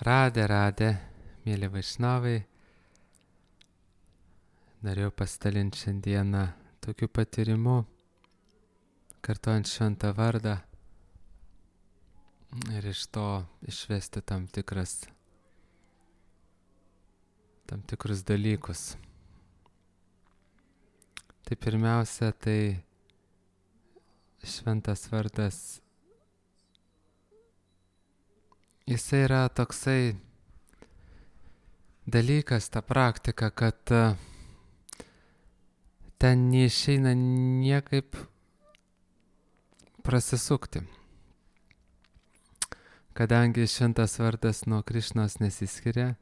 Radė, mėly Vaišnavai, norėjau pasidalinti šiandieną tokiu patyrimu, kartuojant šventą vardą ir iš to išvesti tam tikrus dalykus. Tai pirmiausia, tai šventas vardas, jisai yra toksai dalykas, ta praktika, kad ten neišeina niekaip prasisukti. Kadangi šventas vardas nuo Krišnos nesiskiria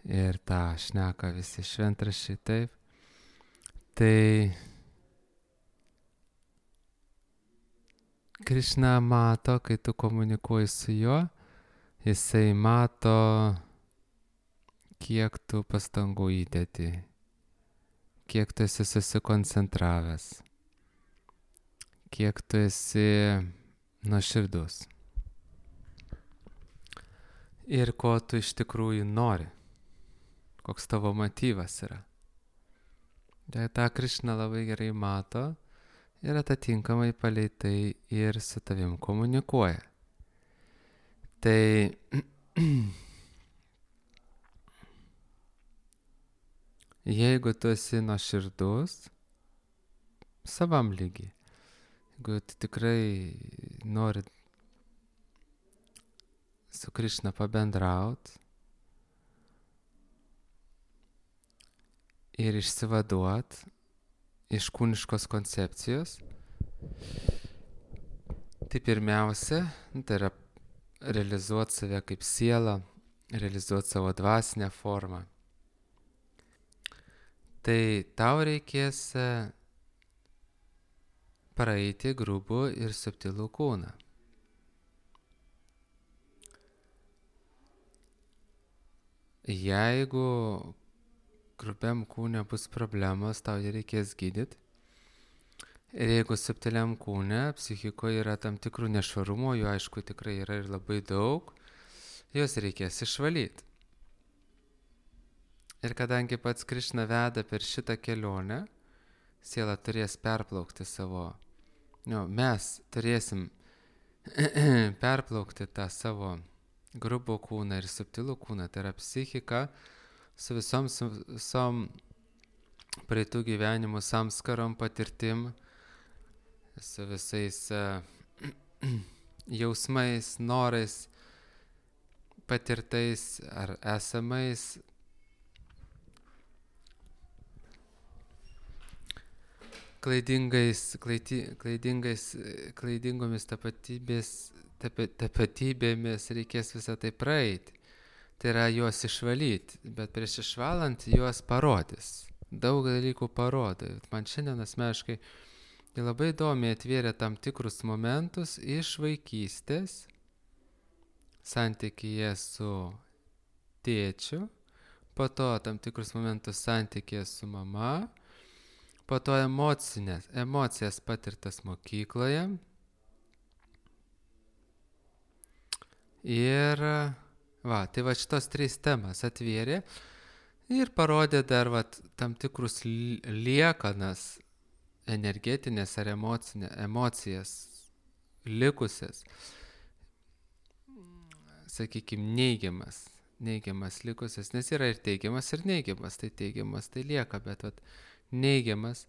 ir tą šneka visi šventraščiai taip, tai Krišna mato, kai tu komunikuoji su juo, jisai mato, kiek tu pastangų įdedi, kiek tu esi susikoncentravęs, kiek tu esi nuoširdus ir ko tu iš tikrųjų nori, koks tavo motyvas yra. Tai tą Krišna labai gerai mato ir atitinkamai palei tai ir su tavim komunikuoja. Tai jeigu tu esi nuoširdus savam lygiai, jeigu tu tikrai nori su Krišna pabendraut ir išsivaduot iš kūniškos koncepcijos, tai pirmiausia, tai yra realizuoti save kaip sielą, realizuoti savo dvasinę formą. Tai tau reikės praeiti grubų ir subtilų kūną. Jeigu grubiam kūne bus problemos, tau jį reikės gydyti. Ir jeigu subtiliam kūne, psichikoje yra tam tikrų nešvarumo, jų aišku tikrai yra ir labai daug, juos reikės išvalyti. Ir kadangi pats Krišna veda per šitą kelionę, siela turės perplaukti mes turėsim perplaukti tą savo grubų kūną ir subtilų kūną, tai yra psichika su visom praeitų gyvenimų samskarom, patirtim, su visais jausmais, norais, patirtais ar esamais, klaidingomis tapatybėmis reikės visą tai praeiti. Tai yra juos išvalyti, bet prieš išvalant juos parodys. Daug dalykų parodo. Man šiandien asmeniškai labai įdomiai atvėrė tam tikrus momentus iš vaikystės, santykyje su tėčiu, po to tam tikrus momentus santykyje su mama, po to emocijas patirtas mokykloje ir tai šitos 3 temas atvėrė ir parodė dar tam tikrus liekanas energetinės ar emocijas likusias, sakykime, neigiamas likusias, nes yra ir teigiamas, ir neigiamas, tai lieka, bet neigiamas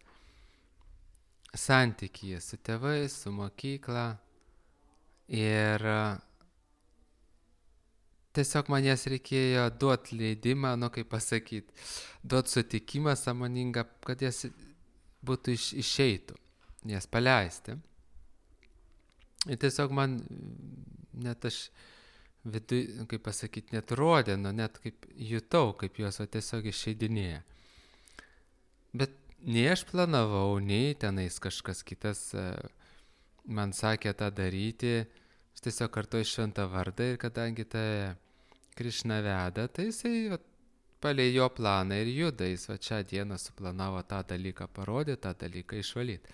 santykyje su tėvais, su mokykla ir tiesiog man jas reikėjo duoti leidimą, duoti sutikimą sąmoningą, kad jas būtų išeitų, jas paleisti. Ir tiesiog man net aš net rodė, net kaip jutau, kaip jos tiesiog išeidinėja. Bet nei aš planavau, nei tenais kažkas kitas man sakė tą daryti, aš tiesiog kartuoju šventą vardą ir kadangi Krišna veda, tai jisai palei jo planą ir juda, jis šią dieną suplanavo tą dalyką parodyti, tą dalyką išvalyti.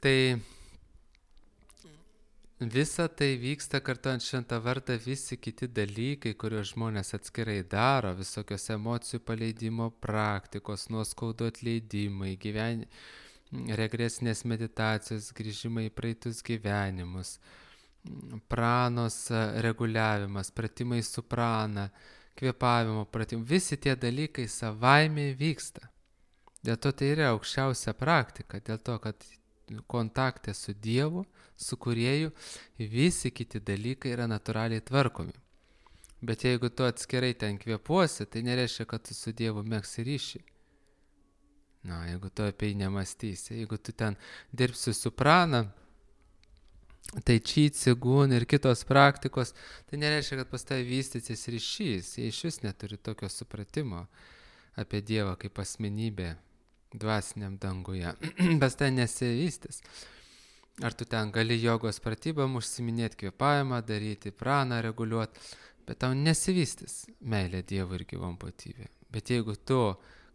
Tai Visa tai vyksta kartuojant šventą vardą, visi kiti dalykai, kuriuos žmonės atskirai daro, visokios emocijų paleidimo praktikos, nuoskaudų atleidimai, regresinės meditacijos, grįžimai į praeitus gyvenimus, pranos reguliavimas, pratimai su prana, kvėpavimo pratimai, visi tie dalykai savaime vyksta. Dėl to tai yra aukščiausia praktika, dėl to, kad kontakte su Dievu, su Kūrėju, visi kiti dalykai yra natūraliai tvarkomi. Bet jeigu tu atskirai ten kvėpuosi, tai nereiškia, kad tu su Dievu megsi ryšį. Na, jeigu tu apie jį nemastysi, jeigu tu ten dirbsi su prana, tai či, cigun ir kitos praktikos, tai nereiškia, kad pas tai vystysis ryšys. Jie iš vis neturi tokio supratimo apie Dievą kaip asmenybę dvasiniam danguje. Pas tai nesivystys. Ar tu ten gali jogos pratybam užsiminėti, kvėpavimą daryti, praną reguliuoti, bet tau nesivystys meilė Dievui ir gyvom būtybė. Bet jeigu tu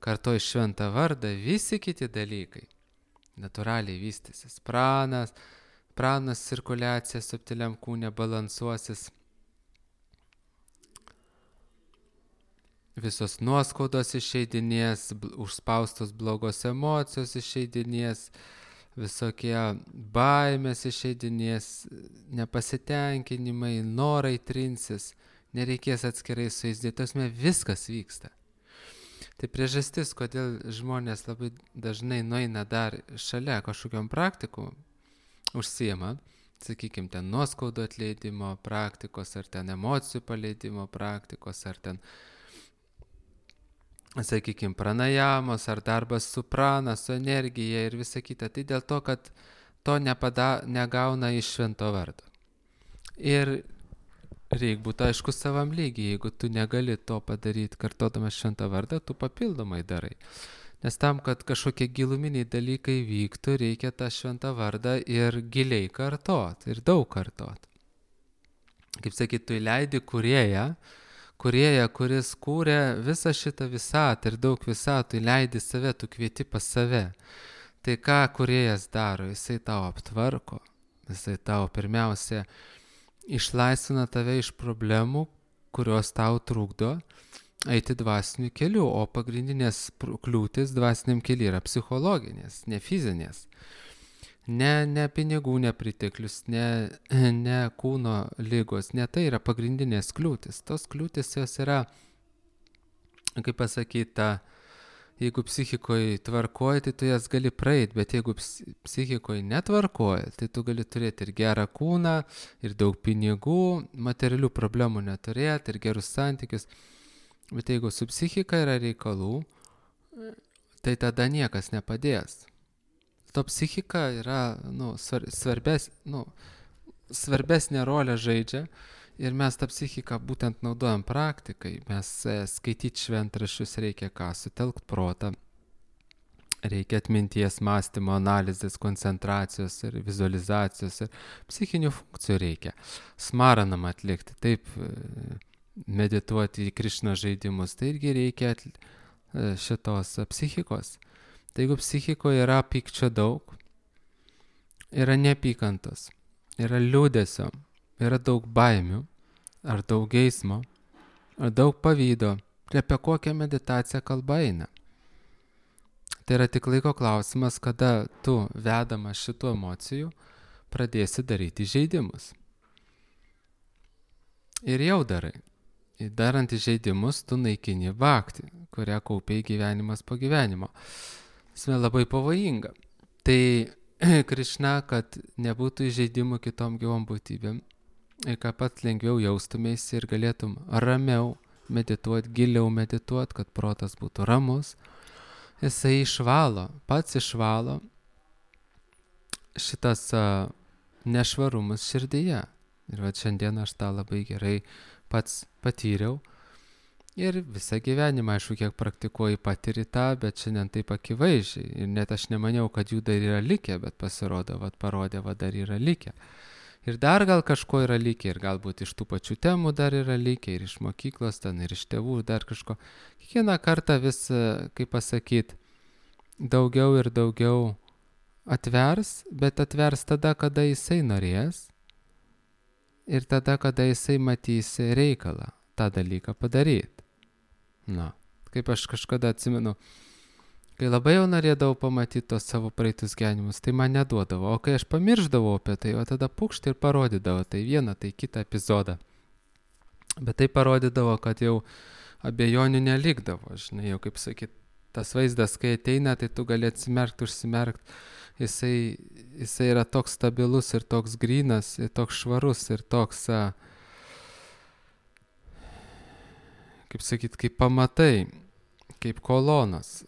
kartoji šventą vardą, visi kiti dalykai natūraliai vystysis. Pranas cirkuliacija subtiliam kūne balansuosis. Visos nuoskaudos išeidinės, užspaustos blogos emocijos išeidinės, visokie baimės išeidinės, nepasitenkinimai, norai trinsis, nereikės atskirai su jais dėti, viskas vyksta. Tai priežastis, kodėl žmonės labai dažnai nueina dar šalia kažkokiom praktikų, užsiema, sakykime, ten nuoskaudų atleidimo praktikos, ar ten emocijų paleidimo praktikos, ar ten, sakykime, pranajamos, ar darbas su prana, su energija ir visa kita. Tai dėl to, kad to negauna iš švento vardo. Ir reikia būti aišku savam lygiai, jeigu tu negali to padaryti kartodamas šventą vardą, tu papildomai darai. Nes tam, kad kažkokie giluminiai dalykai vyktų, reikia tą šventą vardą ir giliai kartot, ir daug kartot. Kaip sakyt, tu įleidi kūrėją, kuris kūrė visą šitą visatą ir daug visatų, įleidi save, tu kvieti pas save. Tai ką kūrėjas daro? Jisai tau aptvarko, jisai tau pirmiausia išlaisvina tave iš problemų, kurios tau trukdo eiti dvasiniu keliu, o pagrindinės kliūtis dvasiniam keliu yra psichologinės, ne fizinės. Ne pinigų nepriteklius, ne kūno lygos, ne tai yra pagrindinės kliūtis. Tos kliūtis jos yra, kaip pasakyta, jeigu psichikoje tvarkoji, tai tu jas gali praeiti, bet jeigu psichikoje netvarkoji, tai tu gali turėti ir gerą kūną, ir daug pinigų, materialių problemų neturėti, ir gerus santykius. Bet jeigu su psichika yra reikalų, tai tada niekas nepadės. To psichika yra svarbesnė rolė žaidžia. Ir mes tą psichiką būtent naudojam praktikai. Mes skaityti šventraščius reikia ką? Sutelkt protą. Reikia atminties, mąstymo, analizės, koncentracijos ir vizualizacijos ir psichinių funkcijų reikia. Smaranam atlikti, taip medituoti į Krišna žaidimus. Tai irgi reikia šitos psichikos. Tai jeigu psichikoje yra pykčio daug, yra neapykantos, yra liūdesio, yra daug baimių, ar daug geismo, ar daug pavydo, tai apie kokią meditaciją kalba eina. Tai yra tik laiko klausimas, kada tu, vedamas šitų emocijų, pradėsi daryti žaidimus. Ir jau darai. Ir darant žaidimus, tu naikini bhaktį, kurią kaupiai gyvenimas po gyvenimo. Tai labai pavojinga. Tai Krišna, kad nebūtų žaidimų kitom gyvom būtybėm, ir kad pats lengviau jaustumėsi ir galėtum ramiau medituoti, giliau medituoti, kad protas būtų ramus, jisai pats išvalo šitas nešvarumus širdyje. Ir va šiandien aš tą labai gerai pats patyriau. Ir visą gyvenimą, aišku, kiek praktikuoju patiri tą, bet šiandien taip akivaizdžiai. Ir net aš nemaniau, kad jų dar yra likę, bet pasirodo, parodė, dar yra likę. Ir dar gal kažko yra likę, ir galbūt iš tų pačių temų dar yra likę, ir iš mokyklos, ten ir iš tėvų, dar kažko. Kiekvieną kartą vis, kaip pasakyti, daugiau ir daugiau atvers, bet atvers tada, kada jisai norės. ir tada, kada jisai matys reikalą tą dalyką padaryti. Na, kaip aš kažkada atsimenu, kai labai jau norėdavau pamatyti tos savo praeitus gyvenimus, tai man neduodavo, o kai aš pamirždavau apie tai, o tada pukšt ir parodydavo tai vieną, tai kitą epizodą. Bet tai parodydavo, kad jau abejonių nelikdavo, žinai, jau kaip sakyt, tas vaizdas, kai ateina, tai tu gali atsimerkti, užsimerkti, jisai yra toks stabilus ir toks grynas, ir toks švarus, ir toks, kaip sakyt, kaip pamatai, kaip kolonas.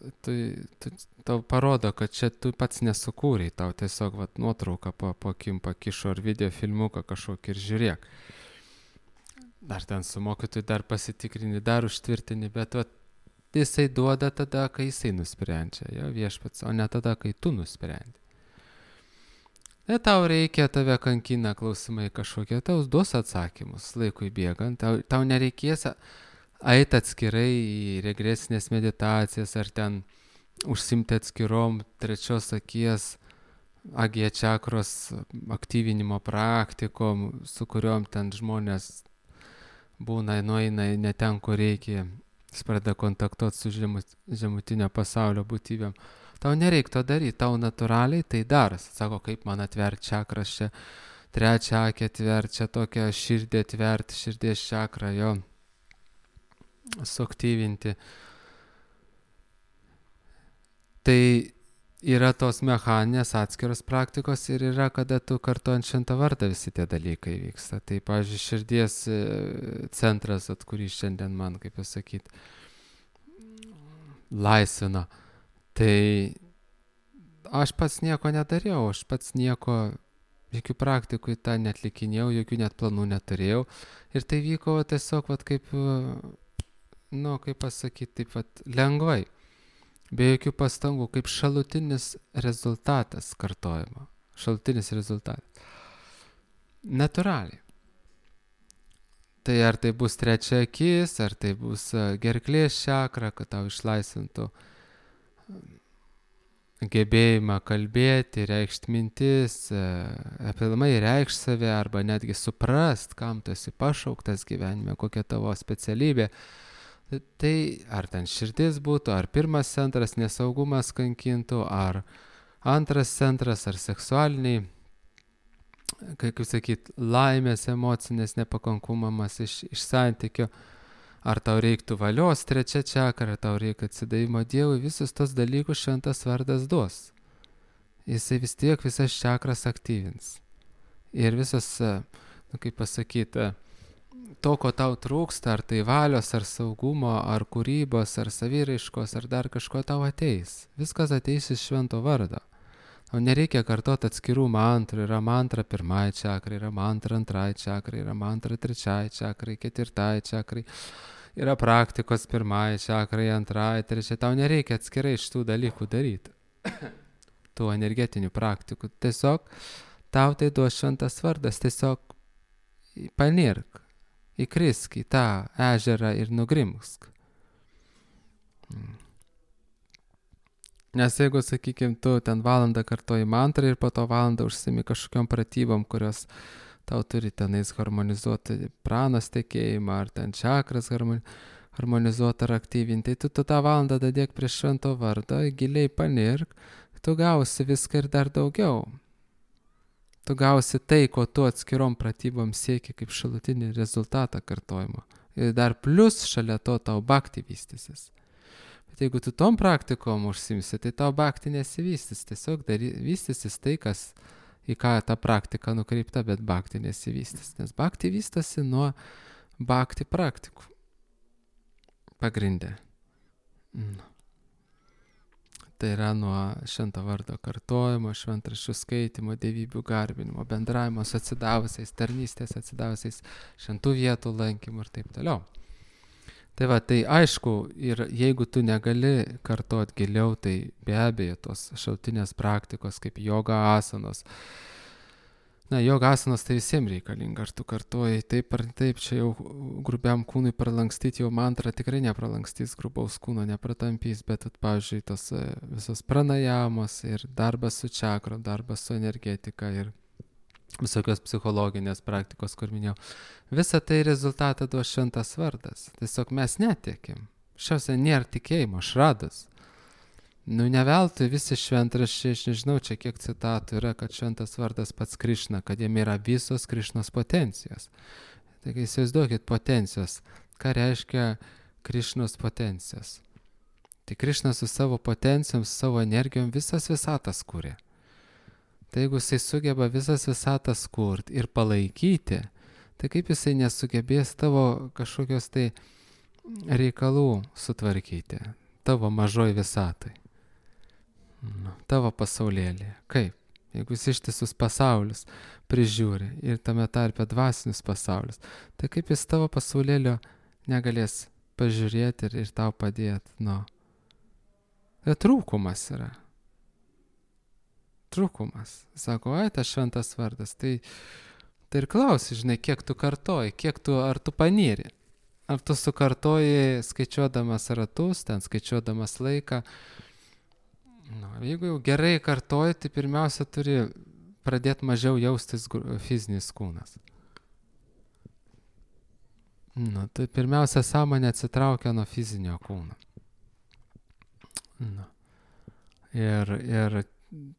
Tau parodo, kad čia tu pats nesukūrei, tau tiesiog nuotrauką po akim pakišo ar video filmuką kažkokį ir žiūrėk. Dar ten su mokytoju dar pasitikrini, dar užtvirtini, bet jisai duoda tada, kai jisai nusprendžia, jo viešpats, o ne tada, kai tu nusprendi. Tau reikia, tave kankina klausimai kažkokie, tau duos atsakymus laikui bėgant, tau nereikės eiti atskirai į regresinės meditacijas ar ten užsimti atskirom trečios akies AG čakros aktyvinimo praktikom, su kuriuom ten žmonės būna, nueina ne ten, kur reikia, jis pradeda kontaktuoti su žemutinio pasaulio būtybėm. Tau nereikia to daryti, tau natūraliai tai daras. Sako, kaip man atverti čakras čia, trečią akį atverti, čia tokią širdį atverti, širdies čakrą, jo, suaktyvinti. Tai yra tos mechaninės atskiros praktikos ir yra, kada tu kartuojant šventą vardą visi tie dalykai vyksta. Tai, pavyzdžiui, širdies centras, kurį šiandien man, kaip pasakyti, laisvina. Tai aš pats nieko nedariau, aš pats nieko, jokių praktikų į tą netlikinėjau, jokių net planų neturėjau. Ir tai vyko tiesiog, kaip, kaip pasakyti, taip, lengvai. Be jokių pastangų, kaip šalutinis rezultatas kartojimo. Šalutinis rezultatas. Natūraliai. Tai ar tai bus trečia akis, ar tai bus gerklės čakra, kad tau išlaisvintų gebėjimą kalbėti, reikšti mintis, apilmai reikšti save, arba netgi suprast, kam tu esi pašauktas gyvenime, kokia tavo specialybė. Tai ar ten širdis būtų, ar pirmas centras nesaugumas kankintų, ar antras centras, ar seksualiniai, kaip sakyt, laimės emocinės nepakankumas iš santykio, ar tau reiktų valios trečia čakra, ar tau reikia atsidavimo Dievui, visus tos dalykus šventas vardas duos. Jisai vis tiek visas čakras aktyvins. Ir visas, kaip pasakyti, to, ko tau trūksta, ar tai valios, ar saugumo, ar kūrybos, ar saviraiškos, ar dar kažko tau ateis. Viskas ateis iš švento vardo. O nereikia kartoti atskirų mantrų. Yra mantra pirmai čakrai, yra mantra antrai čakrai, yra mantra trečiai čakrai, ketvirtai čakrai. Yra praktikos pirmai čakrai, antrai, trečiai. Tau nereikia atskirai šitų dalykų daryti. Tų energetinių praktikų. Tiesiog tau tai duos šventas vardas. Tiesiog panirk. Įkrisk į tą ežerą ir nugrimsk. Nes jeigu, sakykime, tu ten valandą kartoji mantrą ir po to valandą užsimi kažkokiom pratybom, kurios tau turi tenais harmonizuoti pranos tekėjimą, ar ten čakras harmonizuoti ar aktyvinti, tai tu tą valandą dadėk prie švento vardo, giliai panirk, tu gausi viską ir dar daugiau. Tu gausi tai, ko tu atskirom pratybom sieki kaip šalutinį rezultatą kartojimo. Ir dar plus šalia to tau bhakti vystysis. Bet jeigu tu tom praktikom užsimsi, tai tau bhakti nesivystys. Tiesiog vystysis tai, į ką ta praktika nukreipta, bet bhakti nesivystys. Nes bhakti vystosi nuo bhakti praktikų. Pagrindė. Tai yra nuo švento vardo kartojimo, šventraščių skaitimo, dievybių garbinimo, bendravimo su atsidavusiais, tarnystės atsidavusiais, šventų vietų lankymų ir taip toliau. Tai tai aišku, ir jeigu tu negali kartot giliau, tai be abejo tos šaltinės praktikos kaip joga asanos. Joga asanos tai visiems reikalinga, ar tu kartuoji taip ar taip, čia jau grubiam kūnui pralankstyti, jau mantra tikrai nepralankstys, grubaus kūno nepratampys, bet, pavyzdžiui, tos visos pranajamos ir darbas su čakrom, darbas su energetika ir visokios psichologinės praktikos, kur minėjau. Visą tai rezultatą duos šventas vardas. Tiesiog mes netikim. Šiausia nėra tikėjimo, šradas. Ne veltui visi šventraščiai, aš nežinau čia kiek citatų yra, kad šventas vardas pats Krišna, kad jame yra visos Krišnos potencijos. Taigi įsivaizduokit potencijos. Ką reiškia Krišnos potencijos? Tai Krišna su savo potencijom, su savo energijom visas visatas kūrė. Tai jeigu jisai sugeba visas visatas kurti ir palaikyti, tai kaip jisai nesugebės tavo kažkokios tai reikalų sutvarkyti, tavo mažoj visatai, tavo pasaulėlėje. Kaip? Jeigu jis ištisus pasaulius prižiūri ir tame tarpe dvasinius pasaulius, tai kaip jis tavo pasaulėlio negalės pažiūrėti ir tau padėti? Tai trūkumas yra. Trūkumas. Sako, tas šventas vardas. Tai ir klausi, žinai, kiek tu kartoji, ar tu panyri. Ar tu sukartoji skaičiuodamas ratus, ten skaičiuodamas laiką. Jeigu jau gerai kartoji, tai pirmiausia turi pradėti mažiau jaustis fizinis kūnas. Tai pirmiausia sąmonė atsitraukia nuo fizinio kūno. Ir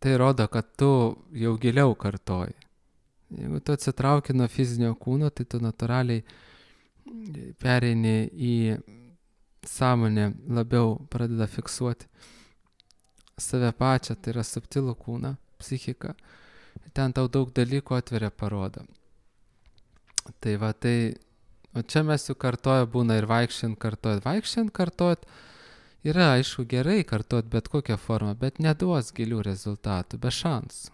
tai rodo, kad tu jau giliau kartoji. Jeigu tu atsitrauki nuo fizinio kūno, tai tu natūraliai pereini į sąmonę, labiau pradeda fiksuoti save pačią, tai yra subtilų kūną, psichiką. Ten tau daug dalykų atveria, parodo. Tai o čia mes jau kartoja būna ir vaikščiant kartojat. Yra, aišku, gerai kartot bet kokią formą, bet neduos gilių rezultatų, be šansų.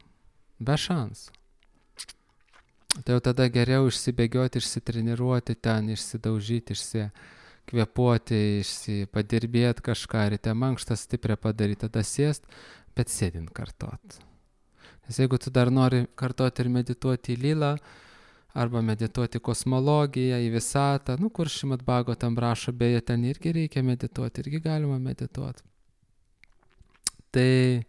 Tai jau tada geriau išsibėgioti, išsitreniruoti ten, išsidaužyti, išsikvėpuoti, padirbėti kažką, ryte mankštą stiprią padaryti, tada sėst, bet sėdint kartot. Nes jeigu tu dar nori kartoti ir medituoti į lilą, arba medituoti kosmologiją, į visatą, kur Šrimad Bhagavatam rašo, beje, ten irgi reikia medituoti, irgi galima medituoti. Tai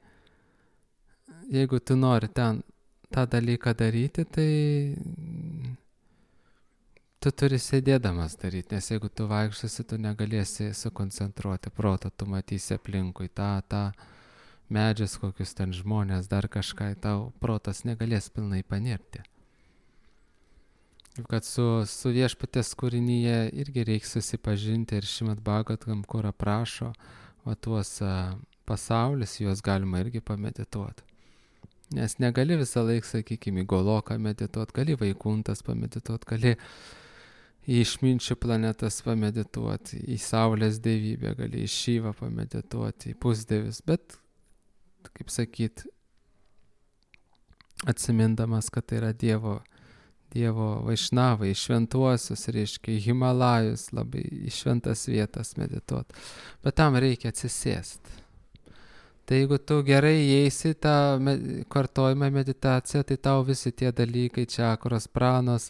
jeigu tu nori ten tą dalyką daryti, tai tu turi sėdėdamas daryti, nes jeigu tu vaikščiosi, tu negalėsi sukoncentruoti protą, tu matysi aplinkui tą medžius, kokius ten žmonės, dar kažką, tau protas negalės pilnai panirti. Kad su viešpaties kūrinyje irgi reikia susipažinti ir Šrimad Bhagavatam, kur aprašo tuos pasaulius, juos galima irgi pamedituoti. Nes negali visą laiką, sakykime, į Goloką medituoti, gali Vaikuntas pamedituoti, gali į išminčių planetas pamedituoti, į Saulės dievybę, gali į Šyvą pamedituoti, į pusdievius, bet, kaip sakyt, atsimindamas, kad tai yra Dievo vaišnavai, šventuosius, reiškia, į Himalajus, labai į šventas vietas medituoti. Bet tam reikia atsisėsti. Tai jeigu tu gerai įeisi tą kartojimą meditaciją, tai tau visi tie dalykai, čakros, pranos,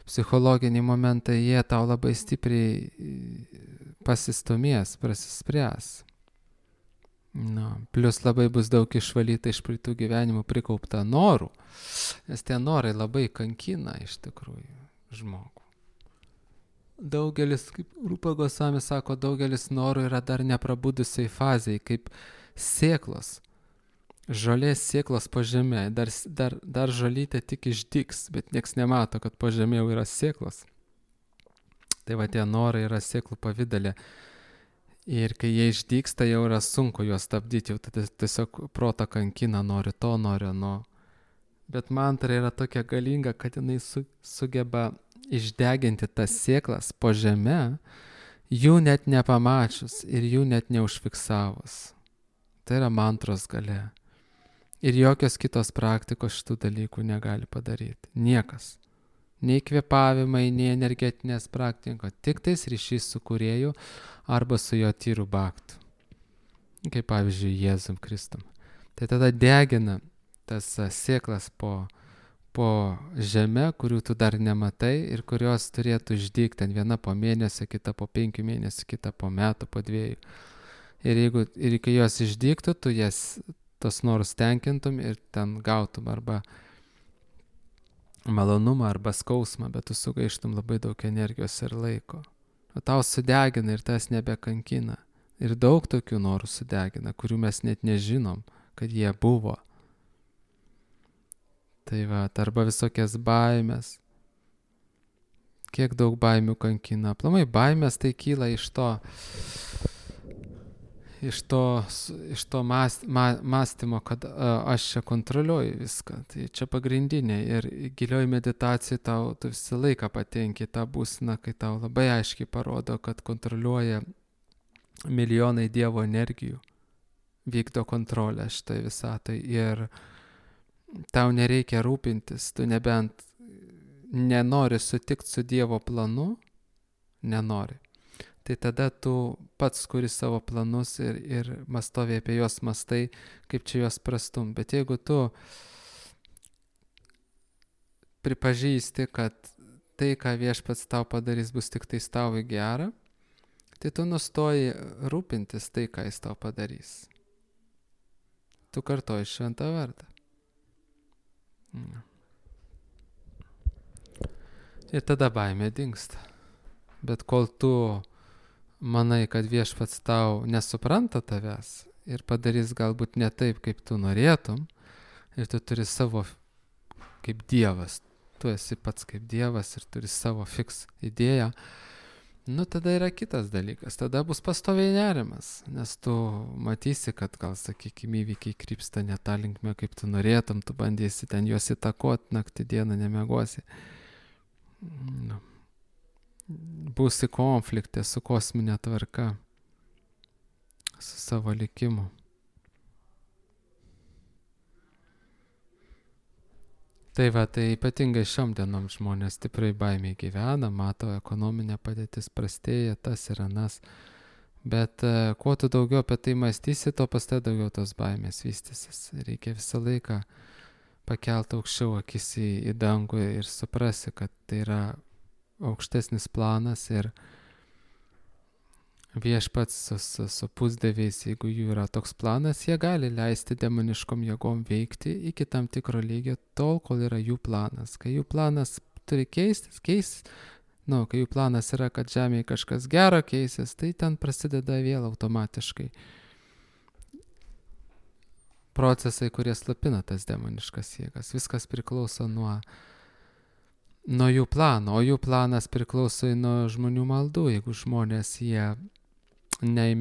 psichologiniai momentai, jie tau labai stipriai pasistumės, prasispręs. Plius labai bus daug išvalyta iš praeitų gyvenimų prikaupta norų, nes tie norai labai kankina iš tikrųjų žmogų. Daugelis, kaip Rupa Gosvami sako, daugelis norų yra dar neprabudusiai fazėje, kaip sėklos, žolės sėklos po žemė, dar žolytė tik išdygs, bet nieks nemato, kad po žemė jau yra sėklos. Tai tie norai yra sėklų pavidalė. Ir kai jie išdygsta, jau yra sunku juos stabdyti, jau tada tiesiog protą kankina, nori to, nori ano. Bet mantra yra tokia galinga, kad jinai sugeba išdeginti tas sėklas po žeme, jų net nepamačius ir jų net neužfiksavus. Tai yra mantros galia. Ir jokios kitos praktikos šitų dalykų negali padaryti. Niekas. Nei kvėpavimai, nei energetinės praktikos, tik tais ryšys su kūrėju arba su jo tyru bhaktu. Kaip pavyzdžiui, Jėzum Kristum. Tai tada degina tas sėklas po žemę, kurių tu dar nematai ir kurios turėtų išdygti, viena po mėnesio, kita po 5 mėnesių, kita po metų, po 2. Ir kai jos išdygtų, tu tos norus tenkintum ir ten gautum arba malonumą arba skausmą, bet tu sugaištum labai daug energijos ir laiko. O tau sudegina ir tas nebekankina. Ir daug tokių norų sudegina, kurių mes net nežinom, kad jie buvo. Tai va, arba visokias baimės. Kiek daug baimių kankina. Aplamai baimės tai kyla iš to mąstymo, kad aš čia kontroliuoju viską. Tai čia pagrindinė. Ir gilioj meditacijai tu visą laiką patenki tą būseną, kai tau labai aiškiai parodo, kad kontroliuoja milijonai Dievo energijų. Vykdo kontrolę šitoj visatai. Ir tau nereikia rūpintis. Tu nebent nenori sutikti su Dievo planu, nenori. Tai tada tu pats kuri savo planus ir mastovi apie juos mastai, kaip čia juos prastum. Bet jeigu tu pripažįsti, kad tai, ką Viešpats tau padarys, bus tik tais tau į gerą, tai tu nustoji rūpintis tai, ką jis tau padarys. Tu kartoji šventą vardą. Ir tada baimė dingsta. Bet kol tu manai, kad Viešpats tau nesupranta tavęs ir padarys galbūt ne taip, kaip tu norėtum, ir tu turi savo kaip Dievas, tu esi pats kaip Dievas ir turi savo fiks idėją, tada yra kitas dalykas, tada bus pastoviai nerimas, nes tu matysi, kad gal, sakykime, įvykiai krypsta ne tą linkmę, kaip tu norėtum, tu bandysi ten juos įtakoti, naktį dieną nemiegosi. Būsi konflikte su kosminė tvarka, su savo likimu. Tai va, tai ypatingai šiom dienom žmonės stipriai baimiai gyvena, mato ekonominė padėtis prastėja, tas ir anas. Bet kuo tu daugiau apie tai mąstysi, to pas tai daugiau tos baimės vystysis. Reikia visą laiką pakelti aukščiau akis į dangų ir suprasi, kad tai yra aukštesnis planas ir Viešpats su pusdieviais, jeigu jų yra toks planas, jie gali leisti demoniškom jėgom veikti iki tam tikro lygio tol, kol yra jų planas. Kai jų planas turi keistis, kai jų planas yra, kad žemėje kažkas gero keisis, tai ten prasideda vėl automatiškai procesai, kurie slapina tas demoniškas jėgas. Viskas priklauso nuo jų plano, o jų planas priklauso nuo žmonių maldų. Jeigu žmonės jie ne į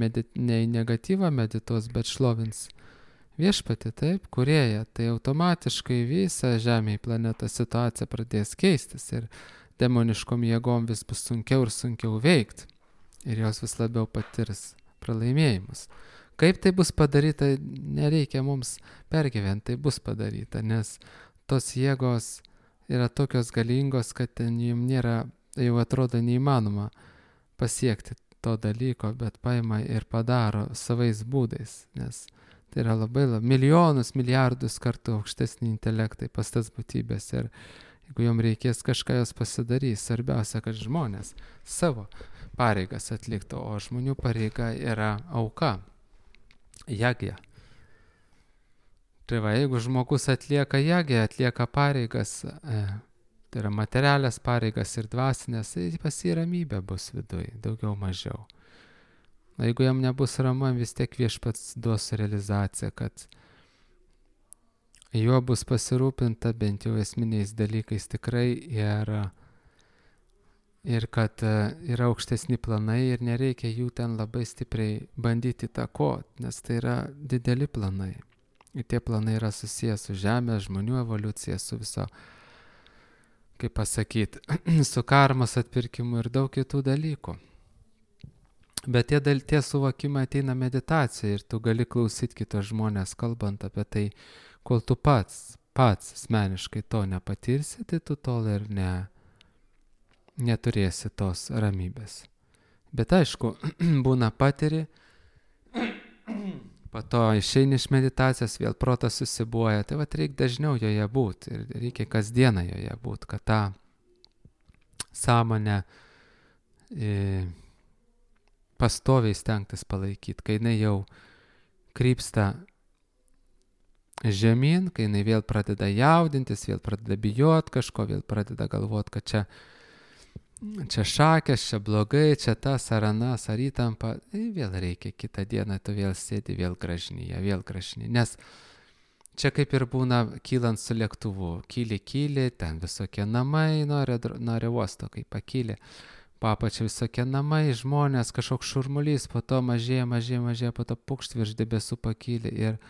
negatyvą medituos, bet šlovins Viešpatį, taip, kūrėją, tai automatiškai visa žemėje planeta situacija pradės keistis ir demoniškom jėgom vis bus sunkiau ir sunkiau veikti ir jos vis labiau patirs pralaimėjimus. Kaip tai bus padaryta, nereikia mums pergyventi, tai bus padaryta, nes tos jėgos yra tokios galingos, kad ten jums nėra, jau atrodo neįmanoma pasiekti to dalyko, bet paima ir padaro savais būdais, nes tai yra labai milijonus, milijardus kartų aukštesni intelektai pas tas būtybės ir jeigu jom reikės kažką jos pasidarys, svarbiausia, kad žmonės savo pareigas atliktų, o žmonių pareiga yra auka. Jagja. Tai va, jeigu žmogus atlieka jagją, atlieka pareigas, tai yra materialias pareigas ir dvasinės, tai pas jį ramybė bus viduj, daugiau mažiau. O jeigu jam nebus ramu, vis tiek Viešpats duos realizaciją, kad juo bus pasirūpinta bent jau esminiais dalykais tikrai ir kad yra aukštesni planai ir nereikia jų ten labai stipriai bandyti įtakoti, nes tai yra dideli planai. Ir tie planai yra susijęs su žemė, žmonių evoliucija, su viso, kaip pasakyti, su karmos atpirkimu ir daug kitų dalykų. Bet tie suvokimai ateina meditacija ir tu gali klausyti kitos žmonės kalbant apie tai, kol tu pats asmeniškai to nepatirsi, tai tu tol ir neturėsi tos ramybės. Bet aišku, būna patiri, po to išeini iš meditacijos, vėl protas susibuoja, tai vat reikia dažniau joje būti ir reikia kasdieną joje būti, kad tą sąmonę pastoviai stengtis palaikyti, kai jinai jau krypsta žemyn, kai jinai vėl pradeda jaudintis, vėl pradeda bijot kažko, vėl pradeda galvot, kad čia šakės, čia blogai, čia tas ar anas, ar įtampa, vėl reikia kitą dieną, tu vėl sėdi, vėl gražnyje, vėl gražnyje. Nes čia kaip ir būna kylant su lėktuvu, kyli, ten visokie namai, nori uosto, kai pakyli, papačia visokie namai, žmonės, kažkoks šurmulys, po to mažėja, po to pukšt virš debesų pakyli ir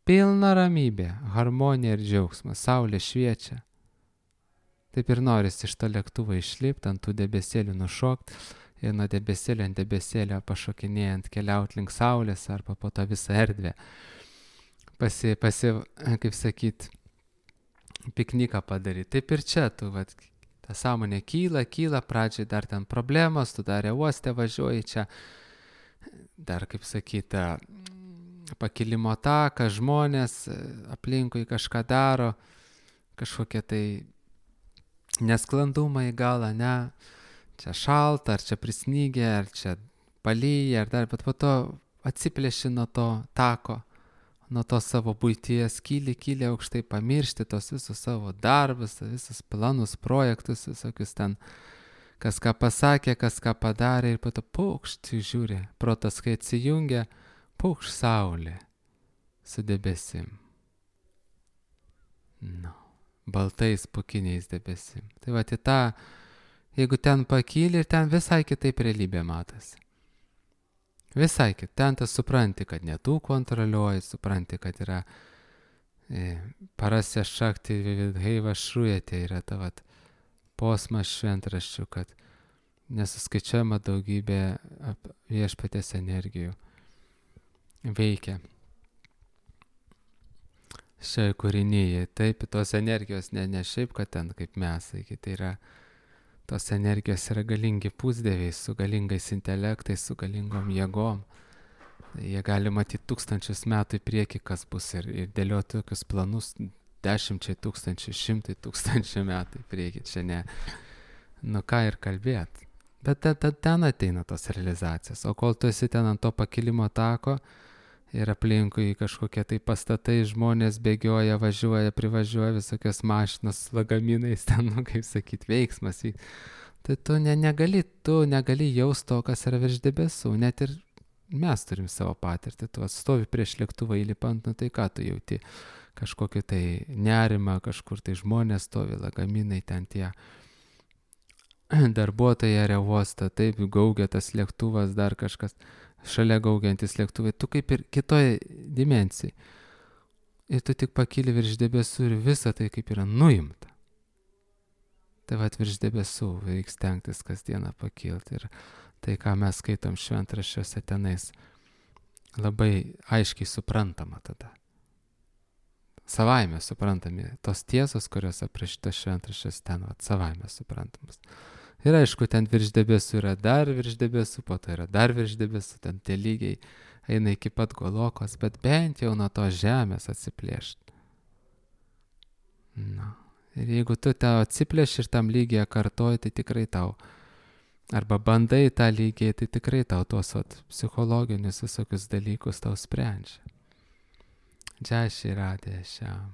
pilna ramybė, harmonija ir džiaugsmas, saulė šviečia. Taip ir norisi iš to lėktuvo išlipti, ant tų debesėlių nušokti ir nuo debesėlio ant debesėlio pašokinėjant keliauti link saulės arba po tą visą erdvę. Kaip sakyt, pikniką padaryti. Taip ir čia, tu, ta sąmonė kyla, pradžiai dar ten problemos, tu dar uoste važiuoji čia, dar, kaip sakyt, pakilimo taką, žmonės aplinkui kažką daro, kažkokie tai nesklandumai galą, ne, čia šalta, ar čia prisnygė, ar čia palyja, ar dar, bet po to atsiplėši nuo to tako, nuo to savo buities, kyli aukštai, pamiršti tos visus savo darbus, visus planus, projektus, visokius ten, kas ką pasakė, kas ką padarė ir po to paukšt, žiūri, protas kai atsijungia, paukšt saulė su debesim. Baltais pukiniais debesim. Tai į tą, jeigu ten pakyli ir ten visai kitaip realybė matosi. Visai kitaip. Ten tas supranti, kad ne tu kontroliuoji, supranti, kad yra parasya šakti vidhaiva šrujate, yra ta posmas šventraščių, kad nesuskaičiuojama daugybė viešpaties energijų veikia šioje kūrinyje. Taip, tos energijos ne šiaip, kad ten kaip mes, tai yra, tos energijos yra galingi pusdieviai, su galingais intelektais, su galingom jėgom. Jie gali matyti 1000 metų į priekį, kas bus ir dėlioti tokius planus 10 000, 100 000 metų į priekį. Čia ne, ką ir kalbėt. Bet ten ateina tos realizacijos. O kol tu esi ten ant to pakilimo tako, ir aplinkui kažkokie tai pastatai, žmonės bėgioja, važiuoja, privažiuoja, visokios mašinos, lagaminais ten, kaip sakyt, veiksmas. Tai tu negali jausti to, kas yra virš debesų. Net ir mes turim savo patirtį. Tu atstovi prieš lėktuvą įlipant, tai ką tu jauti? Kažkokį tai nerimą, kažkur tai žmonės stovi, lagaminai ten tie darbuotojai aerouosto, taip gaugia tas lėktuvas, dar kažkas. Šalia gaugiantis lėktuvai, tu kaip ir kitoje dimensijai. Ir tu tik pakyli virš debesų ir visa tai kaip yra nuimta. Tai virš debesų reiks stengtis kasdieną pakilti. Ir tai, ką mes skaitom šventraščiuose tenais, labai aiškiai suprantama tada. Savaime suprantami. Tos tiesos, kurios aprašytos šventraščiuose ten, savaime suprantamas. Ir aišku, ten virš debesų yra dar virš debesų, po to yra dar virš debesų, ten tie lygiai eina iki pat Golokos, bet bent jau nuo to žemės atsiplėšti. Ir jeigu tu tau atsiplėši ir tam lygiai kartoji, tai tikrai tau, arba bandai tą lygiai, tai tikrai tau tuos psichologinius visokius dalykus tau sprendžia. Džai Šri Radhe Šiam.